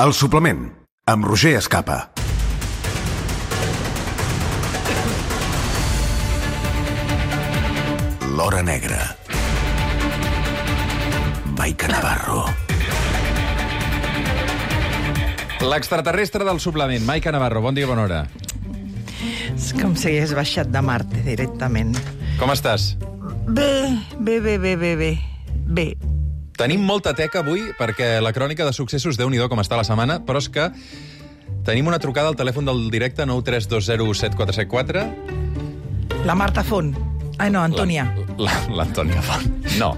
El suplement, amb Roger Escapa. L'Hora Negra. Maica Navarro. L'extraterrestre del suplement, Maica Navarro. Bon dia, bona hora. És com si hagués baixat de Marte directament. Com estàs? Bé. Tenim molta teca avui perquè la crònica de successos, Déu-n'hi-do com està la setmana, però és que tenim una trucada al telèfon del directe 932074774. La Marta Font. Ai, no, Antònia. L'Antònia Font. No.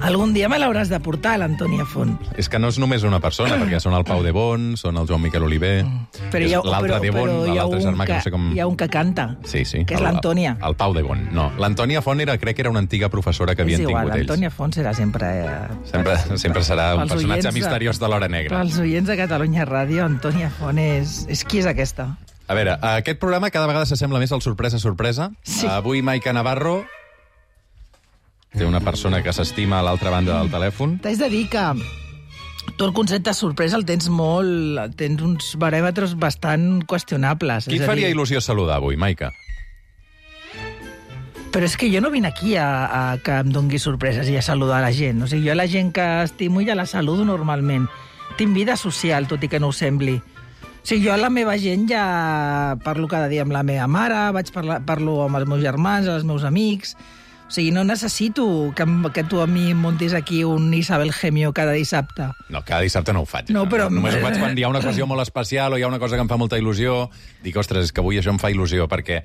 Algun dia me l'hauràs de portar, l'Antònia Font. És que no és només una persona, perquè són el Pau de Bon, són el Joan Miquel Oliver, l'altre de Bon, l'altre germà que no sé com... Hi ha un que canta, sí, que és l'Antònia. El Pau de Bon, no. L'Antònia Font crec que era una antiga professora que havien tingut ells. L'Antònia Font serà sempre... Sempre serà un personatge misteriós de l'Hora Negra. Pels oients de Catalunya Ràdio, Antònia Font és... Qui és aquesta? A veure, aquest programa cada vegada s'assembla més al sorpresa. Sí. Avui Maica Navarro té una persona que s'estima a l'altra banda del telèfon. T'haig de dir que tu el concepte de sorpresa el tens molt... Tens uns baròmetres bastant qüestionables. Qui faria il·lusió saludar avui, Maica? Però és que jo no vinc aquí a que em dongui sorpreses i a saludar la gent. O sigui, jo la gent que estimo ja la saludo normalment. Tinc vida social, tot i que no ho sembli. O sigui, jo a la meva gent ja parlo cada dia amb la meva mare, parlo amb els meus germans, els meus amics... O sigui, no necessito que tu a mi em muntis aquí un Isabel Gemio cada dissabte. No, cada dissabte no ho faig. No, però... Només ho faig quan hi ha una ocasió molt especial o hi ha una cosa que em fa molta il·lusió. Dic, ostres, és que avui això em fa il·lusió, perquè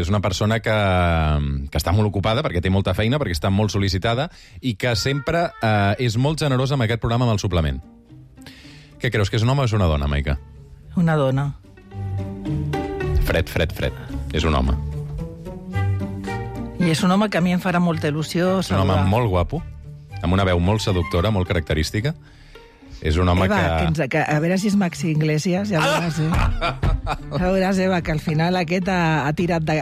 és una persona que està molt ocupada, perquè té molta feina, perquè està molt sol·licitada, i que sempre és molt generosa amb aquest programa, amb el suplement. Què creus, que és un home o és una dona, Maica? Una dona. Fred. És un home. I és un home que a mi em farà molta il·lusió saludar. És un home molt guapo, amb una veu molt seductora, molt característica. És un home que... A veure si és Maxi Iglesias, ja veuràs, Ja veuràs, Eva, que al final aquest ha tirat de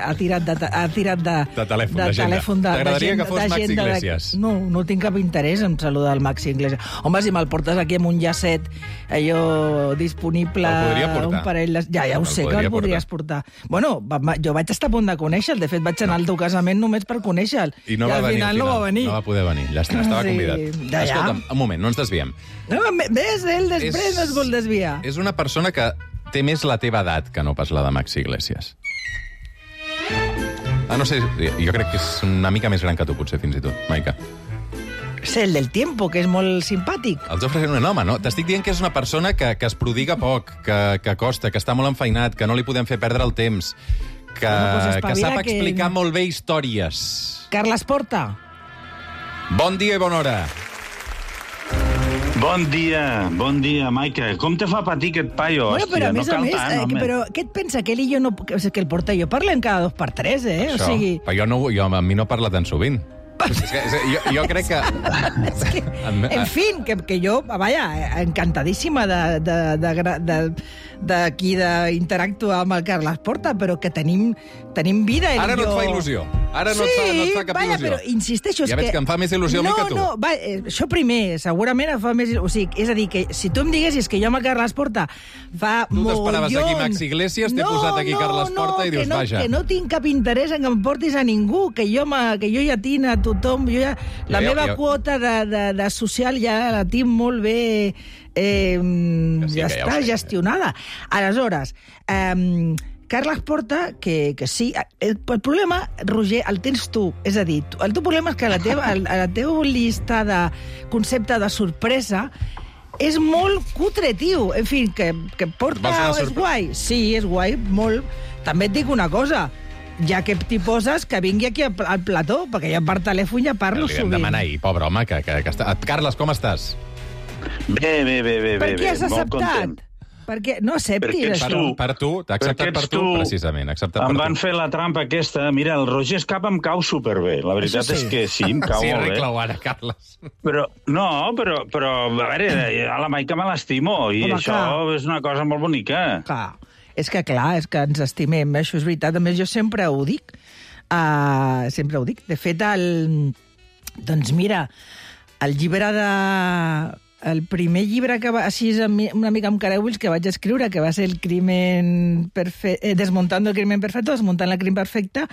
telèfon T'agradaria que fos Maxi Iglesias? No tinc cap interès en saludar el Maxi Iglesias. Home, si me'l portes aquí amb un llacet, allò disponible... El podria portar. Un parell... Ja ho sé que el podries portar. Bueno, jo vaig estar a punt de conèixer-lo. De fet, vaig anar al teu casament només per conèixer-lo. I no va venir al final. No va venir. No va poder venir. Llàstima, estava convidat. Escolta'm, un moment, no ens desviem. No, ves, ell després no es vol desviar. És una persona que té més la teva edat que no pas la de Maxi Iglesias. No sé, jo crec que és una mica més gran que tu, potser, fins i tot, Maica. És el del tiempo, que és molt simpàtic. El Jofre és un home, no? T'estic dient que és una persona que es prodiga poc, que costa, que està molt enfeinat, que no li podem fer perdre el temps, que sap explicar molt bé històries. Carles Porta. Bon dia i bona hora. Bon dia, Maica. Com te fa patir aquest paio, bueno, hòstia? Però a més, però què et pensa? Que ell i jo no... Que el Porta i jo parlem cada 2 per 3, eh? Això. O sigui... Però a mi no parla tan sovint. Jo crec que... En fi, que jo, vaja, encantadíssima d'aquí d'interactuar amb el Carles Porta, però que tenim vida. Ara no et fa il·lusió. Ara no et fa cap il·lusió. Però insisteixo... Ja veig que em fa més il·lusió a mi que tu. Això primer, segurament em fa més il·lusió. O sigui, és a dir, que si tu em diguessis que jo amb el Carles Porta fa mogollons... Tu t'esperaves aquí Maxi Iglesias, t'he posat aquí Carles Porta i dius, vaja. Que no tinc cap interès en que em portis a ningú, que jo ja tinc a tothom, la meva quota de social ja la tinc molt bé ja està gestionada. Aleshores, Carles Porta, que sí... El problema, Roger, el tens tu. És a dir, el teu problema és que la teva llista de concepte de sorpresa és molt cutre, tio. En fi, que Porta és guai. Sí, és guai, molt. També et dic una cosa, ja que t'hi poses, que vingui aquí al plató, perquè jo per telèfon ja parlo sovint. Li vam demanar ahir, pobre home, que està... Carles, com estàs? Bé. Per què has acceptat? Perquè no acceptis això. Per tu, t'ha acceptat per tu, precisament. Em van fer la trampa aquesta. Mira, el Roger Escapa em cau superbé. La veritat és que sí, em cau molt bé. Sí, reclau ara, Carles. Però, a veure, a la Maica me l'estimo, i això és una cosa molt bonica. Clar. És que ens estimem, això és veritat. A més, jo sempre ho dic. De fet, doncs mira, el llibre el primer llibre que va, així una mica amb careuls, que vaig escriure, que va ser el crimen perfecte, Desmontando el crimen perfecte, Desmuntant el crimen perfecte,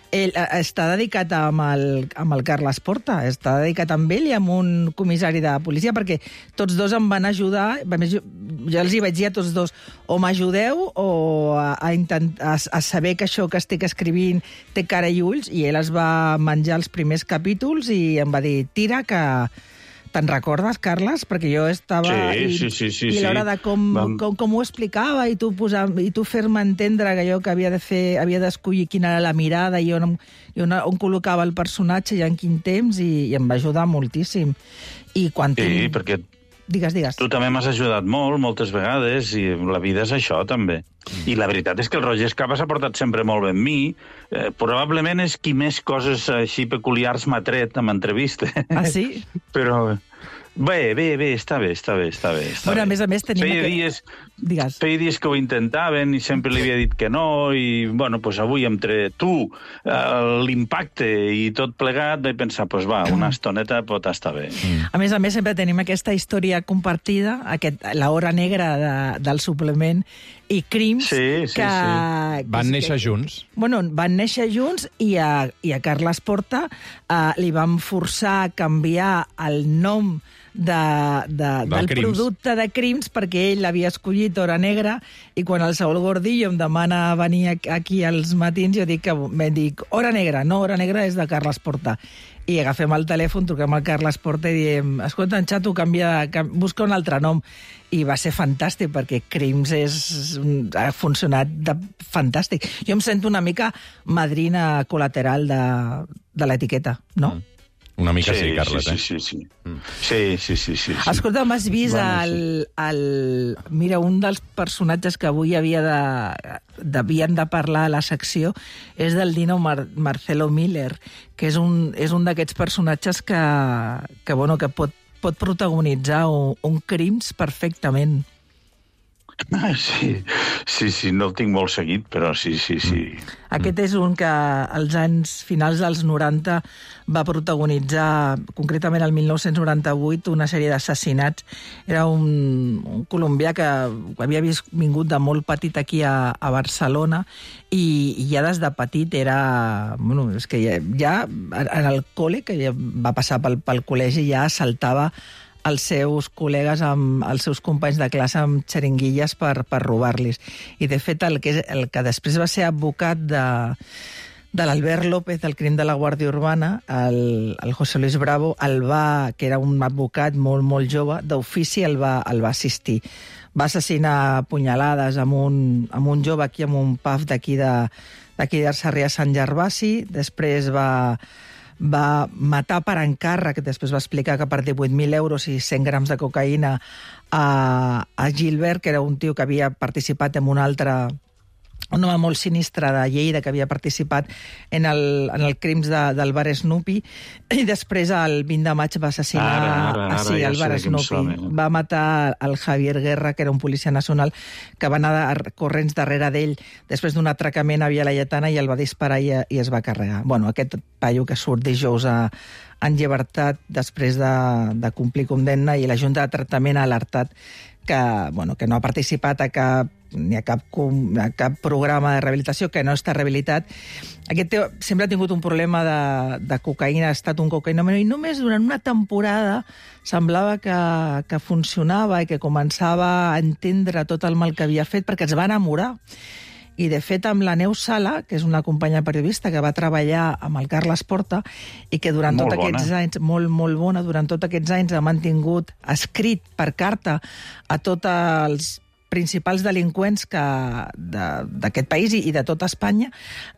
està dedicat amb el Carles Porta, està dedicat amb ell i amb un comissari de policia, perquè tots dos em van ajudar, jo els hi vaig dir a tots dos, o m'ajudeu o a saber que això que estic escrivint té cara i ulls, i ell es va menjar els primers capítols i em va dir, tira, que te'n recordes, Carles? Perquè jo estava... Sí. I a l'hora de com ho explicava i tu fer-me entendre que jo que havia d'escollir quina era la mirada i on col·locava el personatge i en quin temps, i em va ajudar moltíssim. I quan perquè Digues. Tu també m'has ajudat moltes vegades, i la vida és això, també. I la veritat és que el Roger Escapa s'ha portat sempre molt bé amb mi. Probablement és qui més coses així peculiars m'ha tret amb entrevista. Ah, sí? Però... Bé, està bé. Bueno, a més, tenim... Feia dies que ho intentaven i sempre li havia dit que no, i, bueno, pues avui entre tu, l'impacte i tot plegat, vaig pensar, pues va, una estoneta pot estar bé. A més, sempre tenim aquesta història compartida, l'hora negra del suplement, i Crims, que... Van néixer junts. Bueno, van néixer junts, i a Carles Porta li van forçar a canviar el nom del producte de Crims, perquè ell l'havia escollit Hora Negra, i quan el Saúl Gordillo em demana venir aquí als matins, jo dic Hora Negra, no, Hora Negra és de Carles Porta. I agafem el telèfon, truquem al Carles Porta i diem, escolta, en xato, busca un altre nom. I va ser fantàstic, perquè Crims ha funcionat fantàstic. Jo em sento una mica madrina col·lateral de l'etiqueta, no? Una mica sí, Carles, Sí. Sí. Escolta, m'has vist Mira, un dels personatges que avui havien de parlar a la secció és del Dino Marcelo Miller, que és un d'aquests personatges que pot protagonitzar un Crims perfectament. Sí, no el tinc molt seguit, però sí. Aquest és un que als anys finals dels 90 va protagonitzar, concretament el 1998, una sèrie d'assassinats. Era un colombià que havia vingut de molt petit aquí a Barcelona, i ja des de petit era... Bueno, és que ja en el col·le, que ja va passar pel col·legi, ja assaltava els seus col·legues, els seus companys de classe amb xeringuilles per robar-los. I, de fet, el que després va ser advocat de l'Albert López, del crim de la Guàrdia Urbana, el José Luis Bravo, que era un advocat molt jove, d'ofici el va assistir. Va assassinar a punyalades amb un jove aquí, amb un pub d'aquí de Sarrià Sant Gervasi. Després va matar per encàrrec, després va explicar que per 18.000 euros i 100 grams de cocaïna a Gilbert, que era un tio que havia participat en un home molt sinistre de Lleida, que havia participat en el crims del bar Snoopy, i després el 20 de maig va assassinar el bar Snoopy. Va matar el Javier Guerra, que era un policia nacional, que va anar corrents darrere d'ell després d'un atracament a Via Laietana, i el va disparar i es va carregar. Bueno, aquest paio que surt dijous en llibertat després de complir condemna, i la Junta de Tractament ha alertat que no ha participat ni a cap programa de rehabilitació, que no està rehabilitat. Aquest tio sempre ha tingut un problema de cocaïna, ha estat un cocaïnòman, i només durant una temporada semblava que funcionava i que començava a entendre tot el mal que havia fet, perquè es va enamorar. I, de fet, amb la Neus Sala, que és una companya periodista que va treballar amb el Carles Porta, i que durant tots aquests anys, molt bona, durant tots aquests anys ha mantingut escrit per carta a tots els principals delinqüents d'aquest país i de tota Espanya,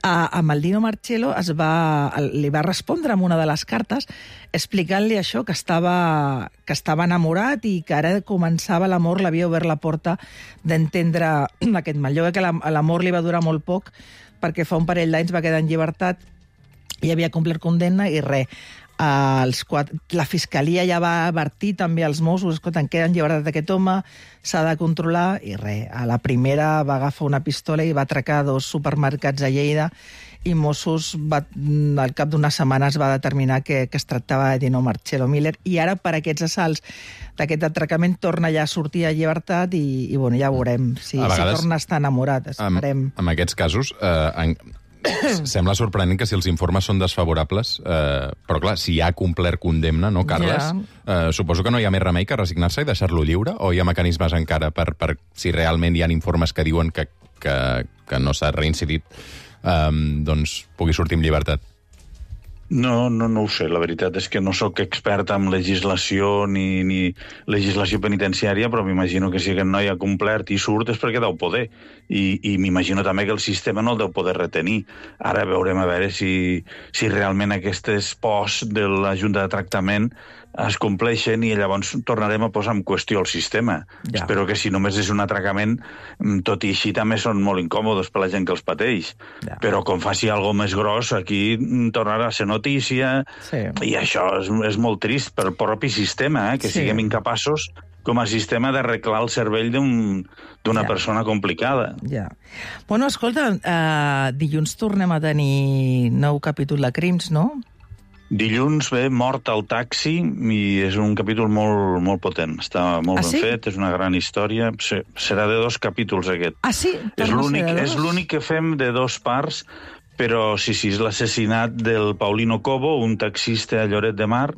amb el Dino Marcelo li va respondre amb una de les cartes explicant-li això, que estava enamorat i que ara començava l'amor, l'havia obert la porta d'entendre aquest mal. Jo crec que l'amor li va durar molt poc, perquè fa un parell d'anys va quedar en llibertat i havia complert condemna, i res. La Fiscalia ja va advertir també als Mossos, escolta, en queda en llibertat aquest home, s'ha de controlar, i res, a la primera va agafar una pistola i va atracar 2 supermercats a Lleida, i Mossos al cap d'unes setmanes va determinar que es tractava de Dino Marcello Miller, i ara per aquests assalts d'aquest atracament torna ja a sortir a llibertat i bueno, ja veurem si torna a estar enamorat, esperem. En aquests casos sembla sorprenent que si els informes són desfavorables, però clar, si ha complert condemna, no, Carles? Suposo que no hi ha més remei que resignar-se i deixar-lo lliure, o hi ha mecanismes encara per si realment hi ha informes que diuen que no s'ha reincidit, doncs pugui sortir amb llibertat? No ho sé. La veritat és que no sóc expert en legislació ni legislació penitenciària, però m'imagino que si aquest noi ha complert i surt és perquè deu poder. I m'imagino també que el sistema no el deu poder retenir. Ara veurem a veure si realment aquestes pors de la Junta de Tractament es compleixen i llavors tornarem a posar en qüestió el sistema. Ja. Espero que si només és un atracament, tot i així també són molt incòmodes per la gent que els pateix. Ja. Però com faci alguna més gros, aquí tornarà a ser notícia, i això és molt trist pel propi sistema, que siguem incapaços com a sistema d'arreglar el cervell d'una persona complicada. Ja. Bueno, escolta, dilluns tornem a tenir nou capítol de Crims, no? Dilluns ve Mort al taxi i és un capítol molt, molt potent. Està molt ben fet, és una gran història. Serà de 2 capítols aquest. Ah, sí? És l'únic que fem de 2 parts, però sí, és l'assassinat del Paulino Cobo, un taxista a Lloret de Mar,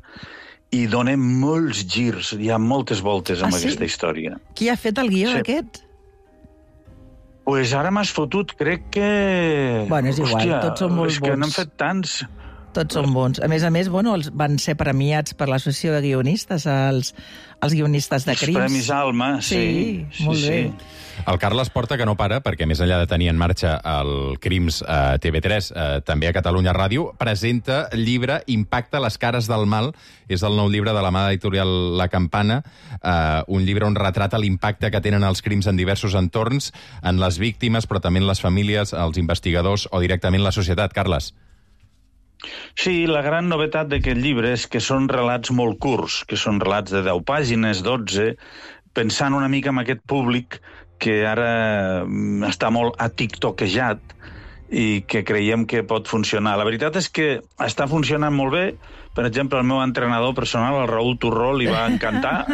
i dona molts girs, hi ha moltes voltes amb aquesta història. Qui ha fet el guió aquest? Pues ara m'has fotut, crec que... Bueno, és igual, tots són molt bons. És que n'han fet tants... Tots són bons. A més, bueno, van ser premiats per l'Associació de Guionistes, els guionistes de Crims. Els Premis Alma, sí. Molt bé. El Carles porta que no para, perquè més enllà de tenir en marxa el Crims a TV3, també a Catalunya Ràdio, presenta el llibre Impacte, les cares del mal. És el nou llibre de la mà editorial La Campana, un llibre on retrata l'impacte que tenen els crims en diversos entorns, en les víctimes, però també en les famílies, els investigadors o directament la societat. Carles. Sí, la gran novetat d'aquest llibre és que són relats molt curts, que són relats de 10 pàgines, 12, pensant una mica en aquest públic que ara està molt atiktokejat i que creiem que pot funcionar. La veritat és que està funcionant molt bé. Per exemple, el meu entrenador personal, el Raúl Turró, li va encantar.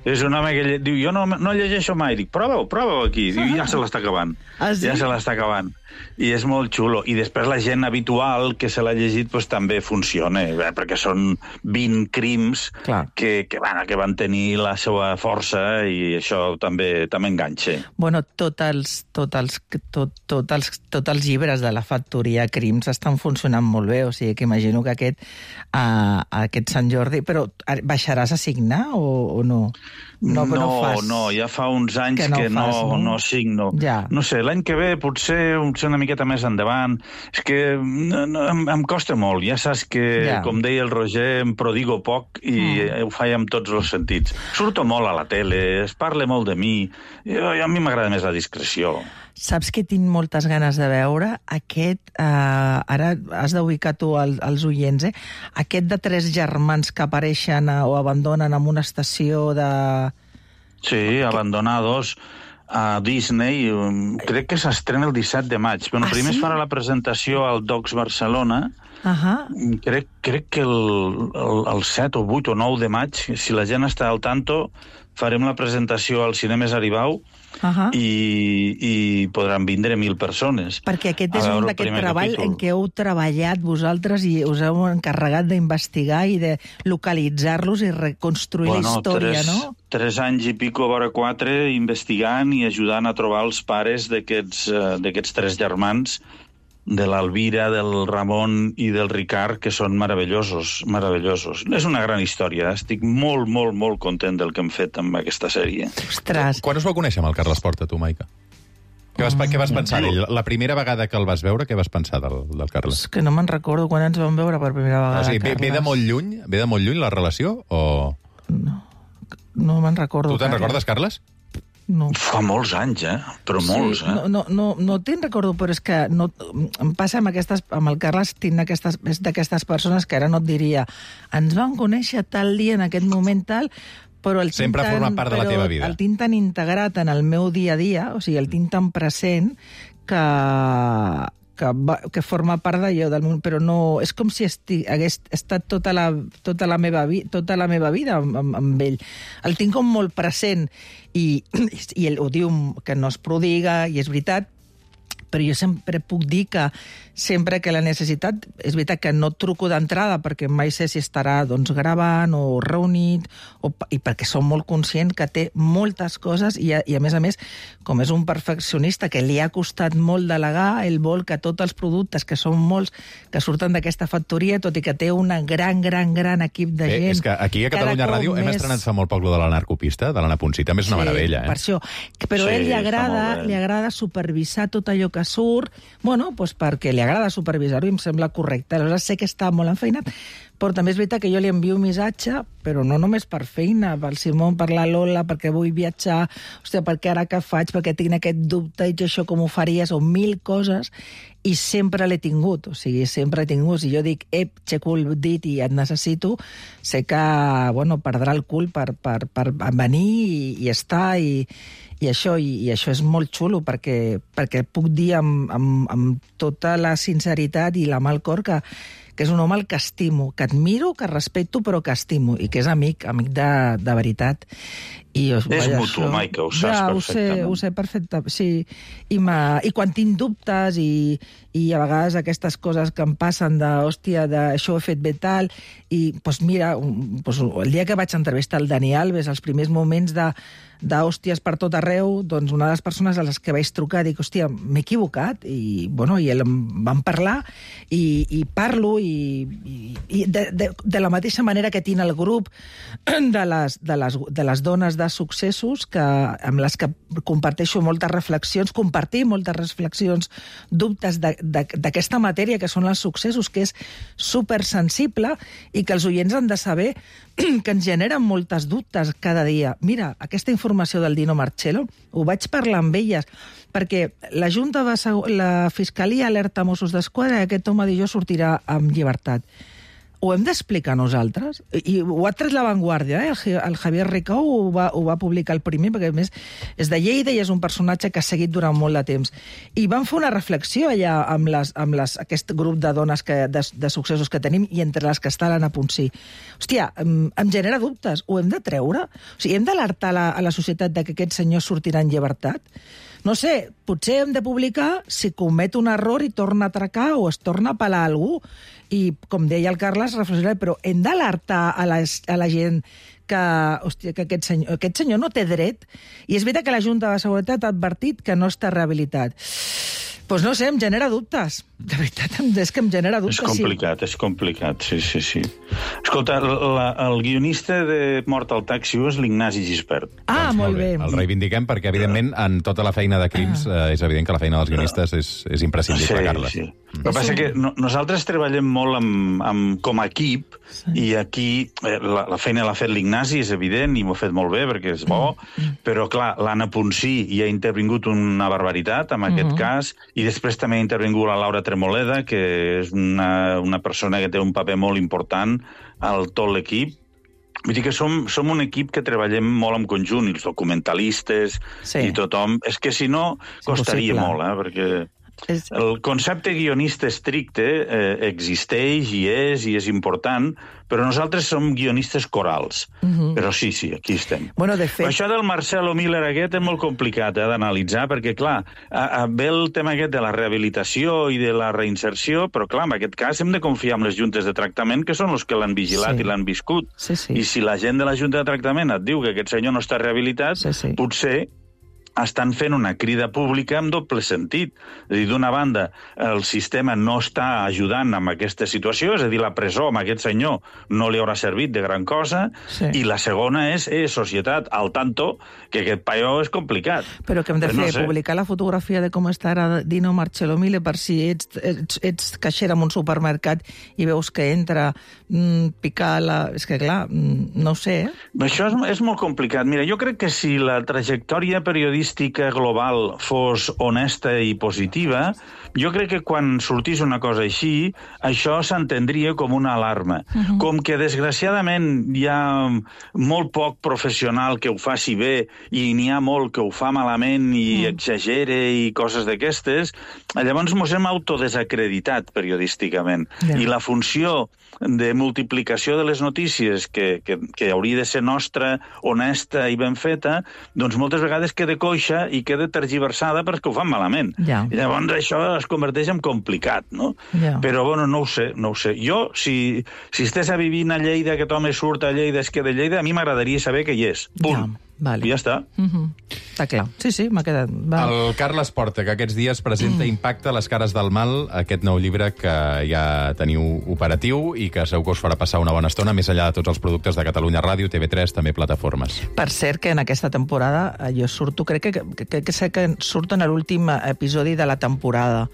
És un home que diu, jo no llegeixo mai. Dic, prova-ho aquí. Diu, ja se l'està acabant. Ja se l'està acabant. I és molt xulo. I després la gent habitual que se l'ha llegit pues, també funciona, perquè són 20 crims que van tenir la seva força i això també enganxa. Bueno, tots els llibres de la factoria Crims estan funcionant molt bé, o sigui que imagino que aquest Sant Jordi... Però baixaràs a signar o no? No, ja fa uns anys que no signo. Ja. No sé, l'any que ve potser una miqueta més endavant. És que em costa molt. Ja saps que, com deia el Roger, em prodigo poc i ho faig amb tots els sentits. Surto molt a la tele, es parla molt de mi. A mi m'agrada més la discreció. Saps que tinc moltes ganes de veure aquest... ara has d'ubicar tu els oients, aquest de 3 germans que apareixen o abandonen en una estació de... Sí, abandonados a Disney. Crec que s'estrena el 17 de maig. Bueno, primer es farà la presentació al Docs Barcelona. Crec que el 7 o 8 o 9 de maig, si la gent està al tanto, farem la presentació al Cinemes Aribau i podran vindre 1.000 persones. Perquè aquest és un d'aquest treball en què heu treballat vosaltres i us heu encarregat d'investigar i de localitzar-los i reconstruir la història, no? 3 anys i pico, a veure 4, investigant i ajudant a trobar els pares d'aquests 3 germans, de l'Alvira, del Ramon i del Ricard, que són meravellosos. És una gran història. Estic molt, molt, molt content del que hem fet amb aquesta sèrie. Ostres! Quan us va conèixer amb el Carles Porta, tu, Maica? Què vas pensar d'ell? La primera vegada que el vas veure, què vas pensar del Carles? És que no me'n recordo quan ens vam veure per primera vegada, Carles. Ve de molt lluny la relació, o...? No me'n recordo. Tu te'n recordes, Carles? No. Fa molts anys, però molts, No te'n recordo, però és que no, em passa amb el Carles, és d'aquestes persones que ara no et diria ens vam conèixer tal dia en aquest moment tal, però sempre ha format part de la teva vida. El tinc tan integrat en el meu dia a dia, o sigui, el tinc tan present que forma part d'allò del món, però no... És com si hagués estat tota la meva vida amb ell. El tinc com molt present i ell ho diu que no es prodiga, i és veritat, però jo sempre puc dir que sempre que la necessitat... És veritat que no truco d'entrada perquè mai sé si estarà gravant o reunit, i perquè som molt conscient que té moltes coses i a més, com és un perfeccionista que li ha costat molt delegar, ell vol que tots els productes, que són molts, que surten d'aquesta factoria, tot i que té un gran equip de gent... És que aquí a Catalunya Ràdio hem estrenat fa molt poc de la narcopista, de l'Anna Ponsí, també és una meravella. Per això. Però a ell li agrada supervisar tot allò que surt, perquè li agrada supervisar-ho i em sembla correcte. Aleshores sé que està molt enfeinat, però també és veritat que jo li envio un missatge, però no només per feina, pel Simón, per la Lola, perquè vull viatjar, perquè ara què faig, perquè tinc aquest dubte, i això com ho faries, o 1000 coses, i sempre l'he tingut, sempre he tingut. Si jo dic, aixeco el dit i et necessito, sé que, perdrà el cul per venir i estar, i això és molt xulo, perquè puc dir amb tota la sinceritat i la mà al cor que és un home al que estimo, que admiro, que respecto, però que estimo, i que és amic de veritat. És mutu, Maica, ho saps perfectament. Ho sé perfectament, sí. I quan tinc dubtes i a vegades aquestes coses que em passen això ho he fet bé tal, i mira, el dia que vaig entrevistar el Dani Alves, els primers moments d'hòsties per tot arreu, una de les persones a les que vaig trucar, dic, m'he equivocat, i ell em van parlar, i parlo, i de la mateixa manera que tinc el grup de les dones de successos, amb les que comparteixo moltes reflexions, dubtes d'aquesta matèria que són els successos, que és supersensible i que els oients han de saber que ens generen moltes dubtes cada dia. Mira, aquesta informació del Dino Marcello, ho vaig parlar amb elles, perquè la Fiscalia alerta Mossos d'Esquadra que aquest home jo sortirà amb llibertat. Ho hem d'explicar nosaltres? I ho ha tret La Vanguardia, el Javier Ricau ho va publicar el primer, perquè a més és de Lleida i és un personatge que ha seguit durant molt de temps. I van fer una reflexió allà amb aquest grup de dones de successos que tenim, i entre les que està l'Anna Ponsí. Hòstia, em genera dubtes. Ho hem de treure? O sigui, hem d'alertar a la societat que aquest senyor sortirà en llibertat? No sé, potser hem de publicar si comet un error i torna a atracar o es torna a pelar algú. I, com deia el Carles, reflexionar, però hem d'alertar a la gent que aquest senyor no té dret. I és veritat que la Junta de Seguretat ha advertit que no està rehabilitat. Doncs no sé, em genera dubtes. De veritat, és que em genera dubtes. És complicat, sí. Escolta, el guionista de Mort al taxi és l'Ignasi Gispert. Molt bé. El reivindiquem perquè, evidentment, en tota la feina de crims, és evident que la feina dels guionistes és imprescindible, Carles. Sí. El que passa que nosaltres treballem molt com a equip, i aquí la feina l'ha fet l'Ignasi, és evident, i m'ho ha fet molt bé perquè és bo, però, clar, l'Anna Ponsí hi ha intervingut una barbaritat, en aquest cas, i després també ha intervingut la Laura Tremoleda, que és una persona que té un paper molt important al tot l'equip. Vull dir que som un equip que treballem molt en conjunt, i els documentalistes i tothom. És que si no, costaria molt, perquè el concepte guionista estricte existeix i és important, però nosaltres som guionistes corals. Però sí, aquí estem. De fet... Això del Marcelo Miller aquest és molt complicat d'analitzar, perquè, clar, ve el tema aquest de la rehabilitació i de la reinserció, però, clar, en aquest cas hem de confiar en les juntes de tractament, que són els que l'han vigilat i l'han viscut. I si la gent de la junta de tractament et diu que aquest senyor no està rehabilitat, potser estan fent una crida pública amb doble sentit. És a dir, d'una banda, el sistema no està ajudant amb aquesta situació, és a dir, la presó amb aquest senyor no li haurà servit de gran cosa, i la segona és societat, al tanto, que aquest paio és complicat. Però què hem de fer? Publicar la fotografia de com està ara Dino Marcello Mille per si ets caixera en un supermercat i veus que entra picar la... És que, clar, no ho sé, Això és molt complicat. Mira, jo crec que si la trajectòria periodística global fos honesta i positiva, jo crec que quan sortís una cosa així, això s'entendria com una alarma. Com que, desgraciadament, hi ha molt poc professional que ho faci bé i n'hi ha molt que ho fa malament i exagere i coses d'aquestes, llavors mos hem autodesacreditat periodísticament. I la funció de multiplicació de les notícies que hauria de ser nostra, honesta i ben feta, doncs moltes vegades queda coixa i queda tergiversada perquè ho fan malament. I llavors això es converteix en complicat, no? Però, bueno, no ho sé. Jo, si estés a vivint a Lleida, aquest home surt a Lleida, es queda a Lleida, a mi m'agradaria saber que hi és. Punt. I ja està. Està clar. Sí, m'ha quedat... El Carles Porta, que aquests dies presenta Impacte, les cares del mal, aquest nou llibre que ja teniu operatiu i que segur que us farà passar una bona estona, més enllà de tots els productes de Catalunya Ràdio, TV3, també plataformes. Per cert, que en aquesta temporada jo surto, crec que sé que surto en l'últim episodi de la temporada.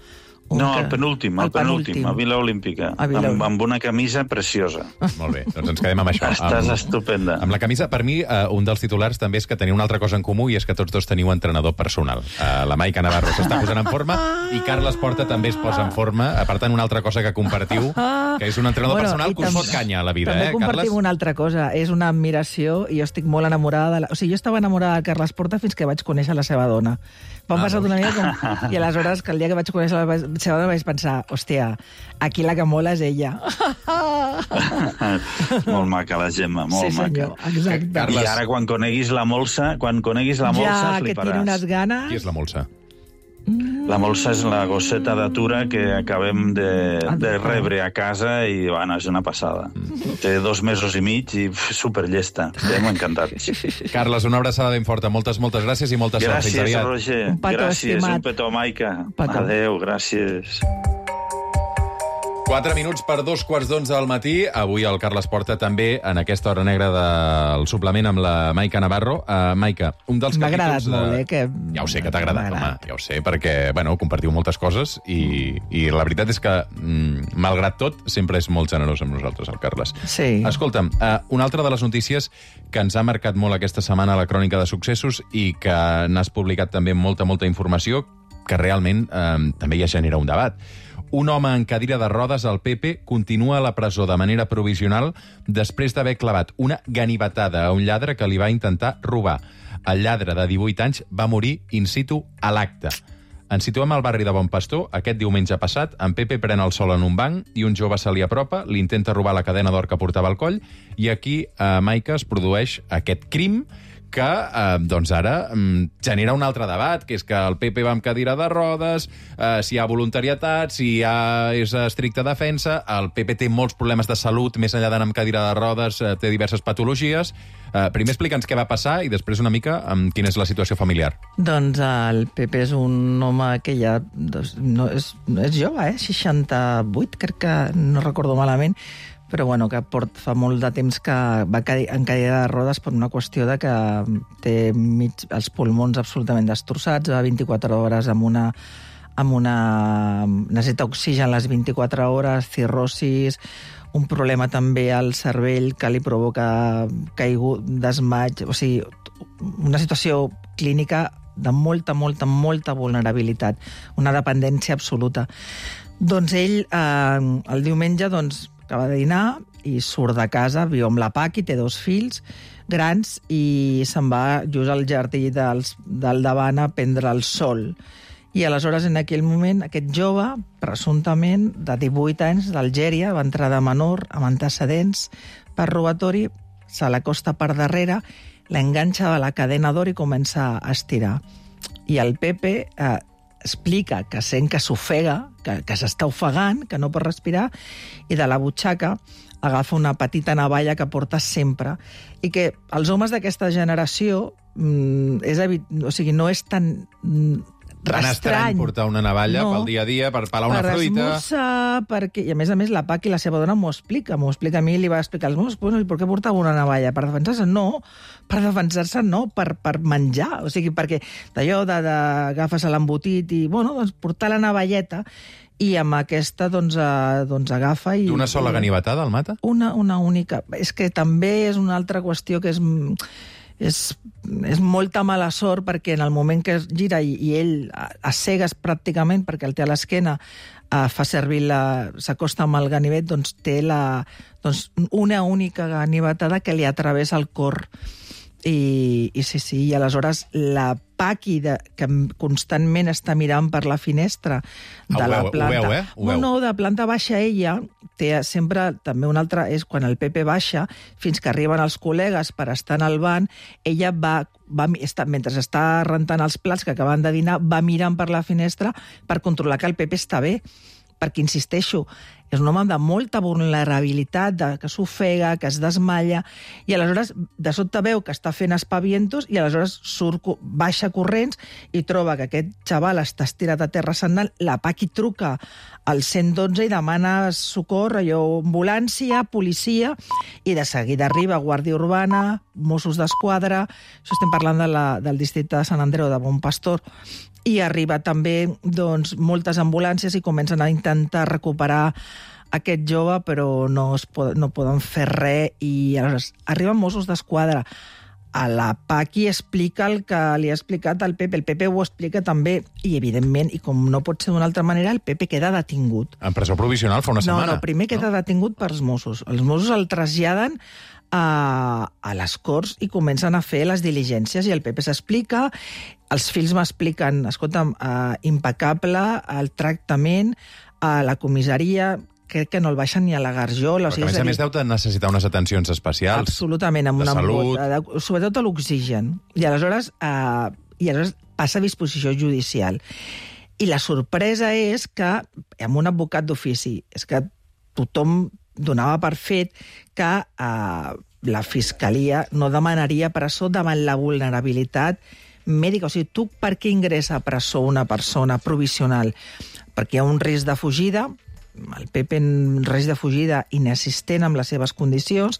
No, el penúltim, a Vila Olímpica, amb una camisa preciosa. Molt bé, doncs ens quedem amb això. Estàs estupenda. Amb la camisa, per mi, un dels titulars també és que teniu una altra cosa en comú i és que tots dos teniu entrenador personal. La Maica Navarro s'està posant en forma i Carles Porta també es posa en forma. Per tant, una altra cosa que compartiu, que és un entrenador personal que us fot canya a la vida, Carles? També compartim una altra cosa, és una admiració i jo estic molt enamorada de... O sigui, jo estava enamorada de Carles Porta fins que vaig conèixer la seva dona. Vam passar una mica com... I aleshores, que el dia que vaig conèixer la seva dona vaig pensar, hòstia, aquí la que mola és ella. Molt maca la Gemma, molt maca. Sí, senyor, exacte. I ara, quan coneguis la Molsa, fliparàs. Que tiene unes ganes... Qui és la Molsa? La Molsa és la gosseta d'atura que acabem de rebre a casa i, bueno, és una passada. Té 2 mesos i mig i superllesta. Estem encantats. Carles, una abraçada ben forta. Moltes gràcies i molta sort. Fins aviat. Gràcies, Roger. Gràcies, un petó, Maica. Adéu, gràcies. 4 minuts per 2:15 del matí. Avui el Carles Porta també en aquesta hora negra del suplement amb la Maica Navarro. Maica, un dels capítols... M'ha agradat molt, que... Ja ho sé que t'ha agradat, home. Ja ho sé, perquè, bueno, compartiu moltes coses i la veritat és que, malgrat tot, sempre és molt generós amb nosaltres, el Carles. Sí. Escolta'm, una altra de les notícies que ens ha marcat molt aquesta setmana a la Crònica de Successos i que n'has publicat també molta informació, que realment també ja genera un debat. Un home en cadira de rodes al PP continua a la presó de manera provisional després d'haver clavat una ganivetada a un lladre que li va intentar robar. El lladre de 18 anys va morir in situ a l'acte. Ens situem al barri de Bon Pastor. Aquest diumenge passat, en Pepe pren el sol en un banc i un jove se li apropa, li intenta robar la cadena d'or que portava al coll i aquí, a Maica, es produeix aquest crim que doncs ara genera un altre debat, que és que el PP va amb cadira de rodes, si hi ha voluntariatat, si és estricta defensa, el PP té molts problemes de salut, més enllà d'anar amb cadira de rodes, té diverses patologies. Primer explica'ns què va passar i després una mica quina és la situació familiar. Doncs el PP és un home que ja no és jove, 68, crec que no recordo malament, però bueno, que fa molt de temps que va en cadira de rodes per una qüestió de que té els pulmons absolutament destrossats, va 24 hores amb una necessita oxigen les 24 hores, cirrosis, un problema també al cervell que li provoca caigut, desmaig, o sigui, una situació clínica de molta vulnerabilitat, una dependència absoluta. Doncs ell, el diumenge, acaba de dinar i surt de casa, viu amb la Paqui, té 2 fills grans i se'n va just al jardí del davant a prendre el sol. I aleshores, en aquell moment, aquest jove, presumptament, de 18 anys, d'Algèria, va entrar de menor, amb antecedents per robatori, se l'acosta per darrere, l'enganxa a la cadena d'or i comença a estirar. I el Pepe explica que sent que s'ofega, que s'està ofegant, que no pot respirar, i de la butxaca agafa una petita navalla que porta sempre, i que els homes d'aquesta generació o sigui, no és tan Tan estrany portar una navalla pel dia a dia, per pelar una fruita... Per esmorzar, perquè... I a més, la Paqui, la seva dona, m'ho explica. A mi, li va explicar als meus, bueno, i per què portava una navalla? Per defensar-se? No, per menjar. O sigui, perquè d'allò d'agafes l'embotit i, bueno, doncs portar la navalleta i amb aquesta, doncs agafa i... D'una sola ganivetada, el mata? Una única. És que també és una altra qüestió que és molta mala sort, perquè en el moment que es gira i ell a cegues pràcticament, perquè el té a l'esquena, fa servir s'acosta amb el ganivet, doncs té una única ganivetada que li atravessa el cor. I sí, i aleshores la Paqui, que constantment està mirant per la finestra de la planta... Ho veu, No, de planta baixa ella té sempre també una altra... És quan el Pepe baixa, fins que arriben els col·legues per estar en el banc, ella mentre està rentant els plats que acaben de dinar, va mirant per la finestra per controlar que el Pepe està bé. Perquè, insisteixo, és un home de molta vulnerabilitat, que s'ofega, que es desmalla, i aleshores de sobte veu que està fent espavientos i aleshores baixa corrents i troba que aquest xaval està estirat a terra sagnant. La Paqui truca al 112 i demana socor, ambulància, policia, i de seguida arriba Guàrdia Urbana, Mossos d'Esquadra, això estem parlant del districte de Sant Andreu, de Bon Pastor, i arriba també moltes ambulàncies i comencen a intentar recuperar aquest jove, però no poden fer res, i aleshores arriben Mossos d'Esquadra. A la Paqui explica el que li ha explicat el Pepe ho explica també, i evidentment, i com no pot ser d'una altra manera, el Pepe queda detingut. En presó provisional fa una setmana. No, primer queda detingut pels Mossos. Els Mossos el traslladen a les Corts i comencen a fer les diligències, i el Pepe s'explica, els fills m'expliquen, escolta'm, impecable el tractament a la comissaria, crec que no el baixen ni a la garjola. Perquè, a més deu necessitar unes atencions especials. Absolutament, amb una salut, sobretot a l'oxigen. I aleshores passa a disposició judicial. I la sorpresa és que, amb un advocat d'ofici, és que tothom donava per fet que la Fiscalia no demanaria presó davant la vulnerabilitat mèdica. O sigui, tu per què ingressa a presó una persona provisional? Perquè hi ha un risc de fugida, el Pepe en risc de fugida inexistent amb les seves condicions,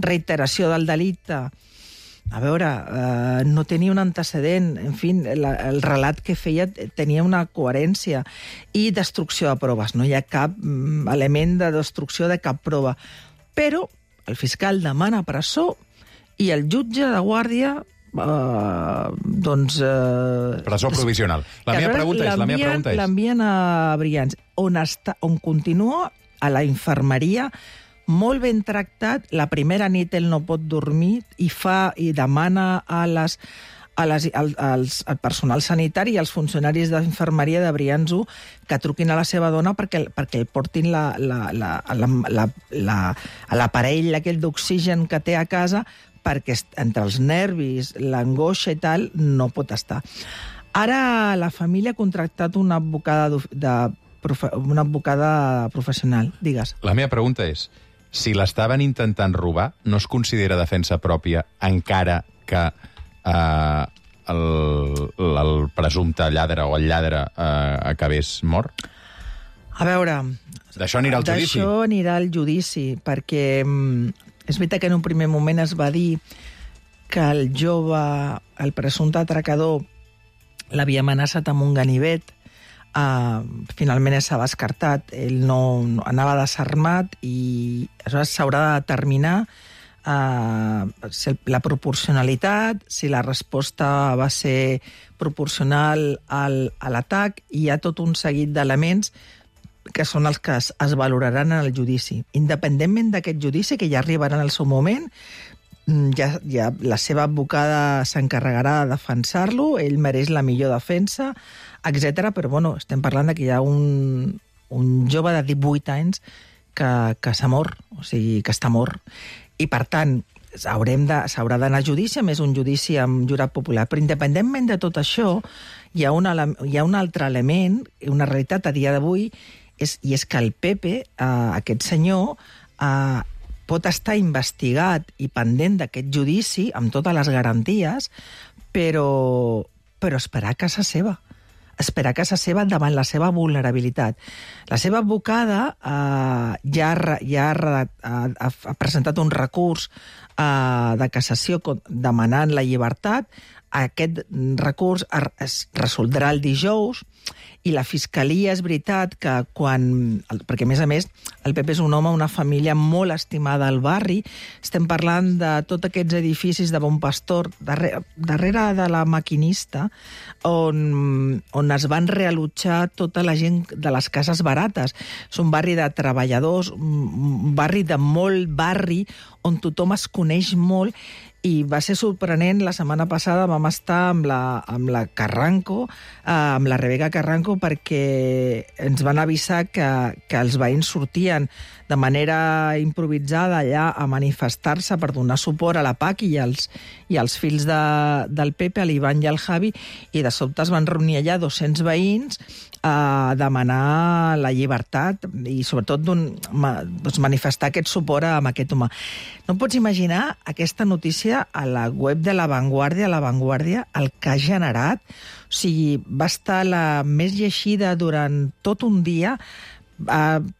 reiteració del delicte, a veure, no tenia un antecedent, en fi, el relat que feia tenia una coherència, i destrucció de proves, no hi ha cap element de destrucció de cap prova. Però el fiscal demana presó i el jutge de guàrdia presó provisional. La meva pregunta és... L'envien a Brians, on continua a la infermeria, molt ben tractat. La primera nit ell no pot dormir i demana al personal sanitari i als funcionaris d'infermeria de Brianzo que truquin a la seva dona perquè el portin l'aparell aquell d'oxigen que té a casa, perquè entre els nervis, l'angoixa i tal, no pot estar. Ara la família ha contractat una advocada professional. Digues. La meva pregunta és, si l'estaven intentant robar, no es considera defensa pròpia encara que el presumpte lladre o el lladre acabés mort? A veure... D'això anirà al judici? D'això anirà al judici, perquè és veritat que en un primer moment es va dir que el jove, el presumpte atracador, l'havia amenaçat amb un ganivet. Finalment s'ha descartat, ell no anava desarmat, i aleshores s'haurà de determinar la proporcionalitat, si la resposta va ser proporcional a l'atac, i hi ha tot un seguit d'elements que són els que es valoraran en el judici. Independentment d'aquest judici, que ja arribarà en el seu moment, ja la seva advocada s'encarregarà de defensar-lo, ell mereix la millor defensa, etc. Però bueno, estem parlant que hi ha un jove de 18 anys que s'ha mort, o sigui, que està mort. I, per tant, s'haurà d'anar a judici, a més un judici amb jurat popular. Però independentment de tot això, hi ha un altre element, una realitat a dia d'avui, i és que el Pepe, aquest senyor, pot estar investigat i pendent d'aquest judici amb totes les garanties, però esperar a casa seva. Esperar a casa seva davant la seva vulnerabilitat. La seva advocada ja ha presentat un recurs de cassació demanant la llibertat. Aquest recurs es resoldrà el dijous i la Fiscalia és veritat que perquè, a més, el Pepe és un home, una família molt estimada al barri. Estem parlant de tots aquests edificis de Bon Pastor, darrere de la Maquinista, on es van reallotjar tota la gent de les cases barates. És un barri de treballadors, un barri de molt barri, on tothom es coneix molt, i va ser sorprenent. La setmana passada vam estar amb la Carranco, amb la Rebeca Carranco, perquè ens van avisar que els veïns sortien de manera improvisada allà a manifestar-se per donar suport a la PAC i als fills del Pepe, a l'Ivan i al Javi, i de sobte es van reunir allà 200 veïns a demanar la llibertat i sobretot manifestar aquest suport amb aquest home. No pots imaginar aquesta notícia a la web de La Vanguardia, el que ha generat. O sigui, va estar la més llegida durant tot un dia.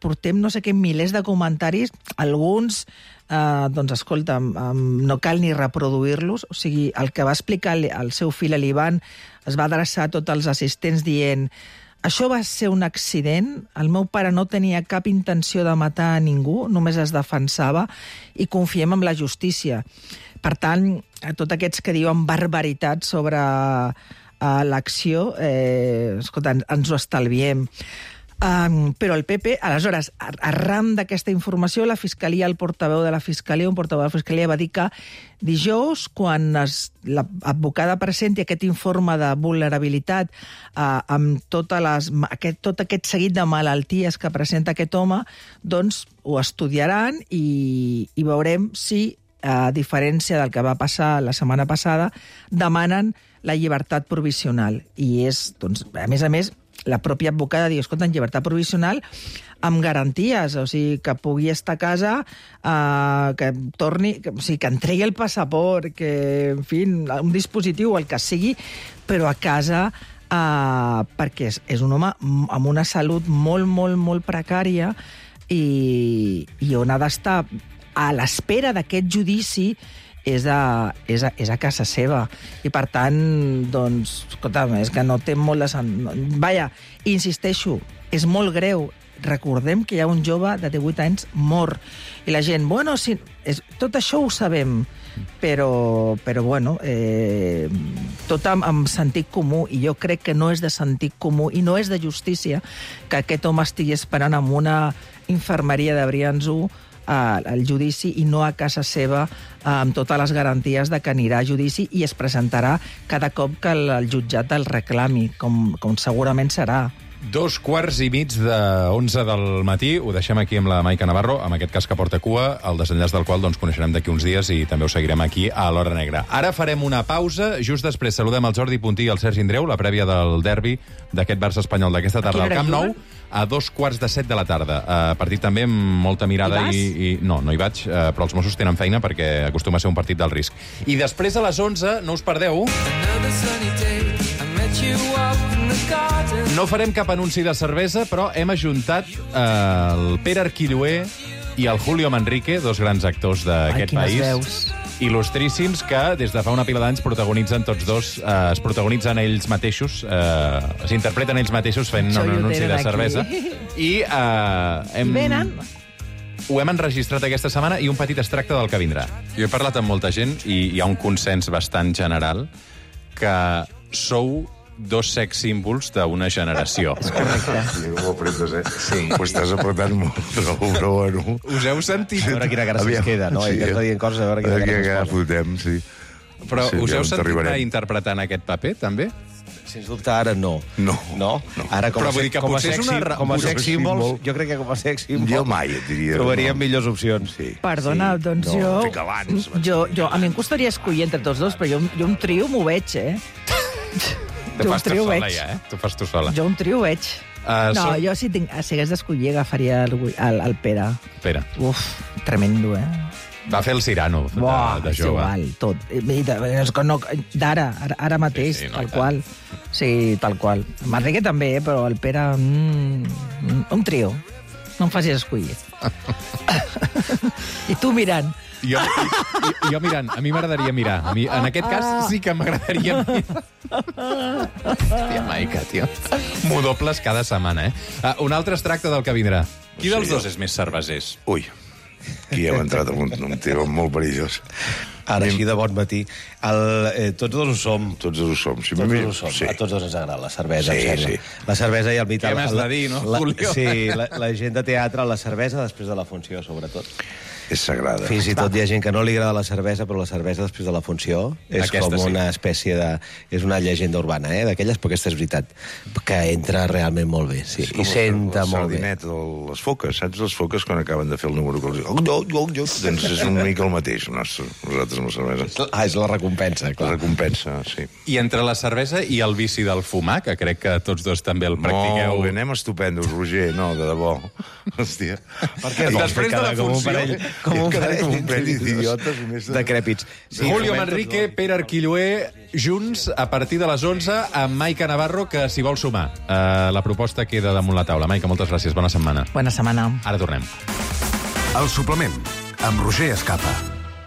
Portem no sé què milers de comentaris, alguns doncs escolta, no cal ni reproduir-los. O sigui, el que va explicar el seu fill, l'Ivan, es va adreçar a tots els assistents dient: això va ser un accident, el meu pare no tenia cap intenció de matar a ningú, només es defensava, i confiem en la justícia. Per tant, a tots aquests que diuen barbaritats sobre l'acció, escolta, ens ho estalviem. Però el PP, aleshores, arran d'aquesta informació, la Fiscalia, un portaveu de la Fiscalia va dir que dijous, quan l'advocada presenti aquest informe de vulnerabilitat amb tot aquest seguit de malalties que presenta aquest home, doncs ho estudiaran i veurem si, a diferència del que va passar la setmana passada, demanen la llibertat provisional. I és, doncs, a més, la pròpia advocada diu: escolta, en llibertat provisional amb garanties, o sigui, que pugui estar a casa, que torni, o sigui, que entregui el passaport, que, en fi, un dispositiu, el que sigui, però a casa, perquè és un home amb una salut molt, molt, molt precària i on ha d'estar a l'espera d'aquest judici és a casa seva. I, per tant, doncs, escolta, és que no té molt de... Vaja, insisteixo, és molt greu. Recordem que hi ha un jove de 18 anys mort. I la gent, bueno, sí, tot això ho sabem, però bueno, tot amb sentit comú, i jo crec que no és de sentit comú i no és de justícia que aquest home estigui esperant en una infermeria de Brians 1 al judici i no a casa seva, amb totes les garanties de que anirà a judici i es presentarà cada cop que el jutjat el reclami, com segurament serà. 2:15 del matí, ho deixem aquí amb la Maica Navarro, amb aquest cas que porta cua, el desenllaç del qual doncs, coneixerem d'aquí uns dies i també ho seguirem aquí a l'Hora Negra. Ara farem una pausa, just després saludem el Jordi Puntí i el Sergi Indreu, la prèvia del derbi d'aquest Barça espanyol d'aquesta tarda al Camp Nou, a 2:15 de la tarda. Partit també amb molta mirada i... No hi vaig, però els Mossos tenen feina perquè acostuma a ser un partit del risc. I després a les 11, no us perdeu... No farem cap anunci de cervesa, però hem ajuntat el Pere Arquilloé i el Julio Manrique, dos grans actors d'aquest país. Veus. Il·lustríssims que des de fa una pila d'anys protagonitzen tots dos, es protagonitzen ells mateixos, s'interpreten ells mateixos fent un anunci de cervesa. I ho hem enregistrat aquesta setmana i un petit extracte del que vindrà. Jo he parlat amb molta gent i hi ha un consens bastant general que sou dos sex símbols d'una generació. És correcte. Sí, ho apretes, Sí. Ho estàs apretant molt, però bueno... Us heu sentit? A veure quina cara se'ns queda, no? Sí, està dient coses, a veure quina cara se'ns fotem, sí. Però us heu sentit mai interpretant aquest paper, també? Sens dubte, ara no. No. Ara, com a sex símbols, jo crec que com a sex símbols... Jo mai et diria... Trobaríem millors opcions. Sí. Perdona, doncs jo... A mi em costaria escollir entre tots dos, però jo un trio m'ho veig, Te fas tu sola, ja, Tu fas tu sola. Jo un trio veig. Jo si hagués d'escollir agafaria el Pere. Pere. Uf, tremendo, Va fer el Cirano, de és jove. igual, tot. Ara mateix, Sí, tal qual. Sí, tal qual. Manrique també, però el Pere... un trio. No em facis escollir. I tu mirant. Jo mirant, a mi m'agradaria mirar. En aquest cas sí que m'agradaria mirar. Hòstia, Maica, tio. M'ho dobles cada setmana, Un altre es tracta del que vindrà. Qui dels dos és més cervesers? Ui, aquí hem entrat en un tema molt perillós. Ara, així de bon matí. Tots dos ho som. Tots dos ho som. Sí, Tots dos ho som. sí. A tots dos ens agrada la cervesa, Sí, em sembla. sí. La cervesa i el vital. Què m'has de dir, no, Julio? Sí, la gent de teatre, la cervesa després de la funció, sobretot. És sagrada. Fins i tot hi ha gent que no li agrada la cervesa, però la cervesa després de la funció és Aquesta com sí. una espècie de... És una llegenda urbana, d'aquelles, però aquesta és veritat, que entra realment molt bé, sí. I senta molt bé. Sardinet, les foques, saps les foques quan acaben de fer el número que els diu? Doncs és una mica el mateix, nosaltres amb la cervesa. És la recompensa, La clar. recompensa, sí. I entre la cervesa i el vici del fumar, que crec que tots dos també el practiqueu... Molt bé, anem estupendos, Roger, no, de debò. Hòstia. Per què I després de la funció... Com un parell d'idiotes. decrèpits. Sí, Julio Manrique, Pere Arquilloé, junts a partir de les 11 amb Maica Navarro, que s'hi vol sumar. La proposta queda damunt la taula. Maica, moltes gràcies. Bona setmana. Bona setmana. Ara tornem. El suplement, amb Roger Escapa.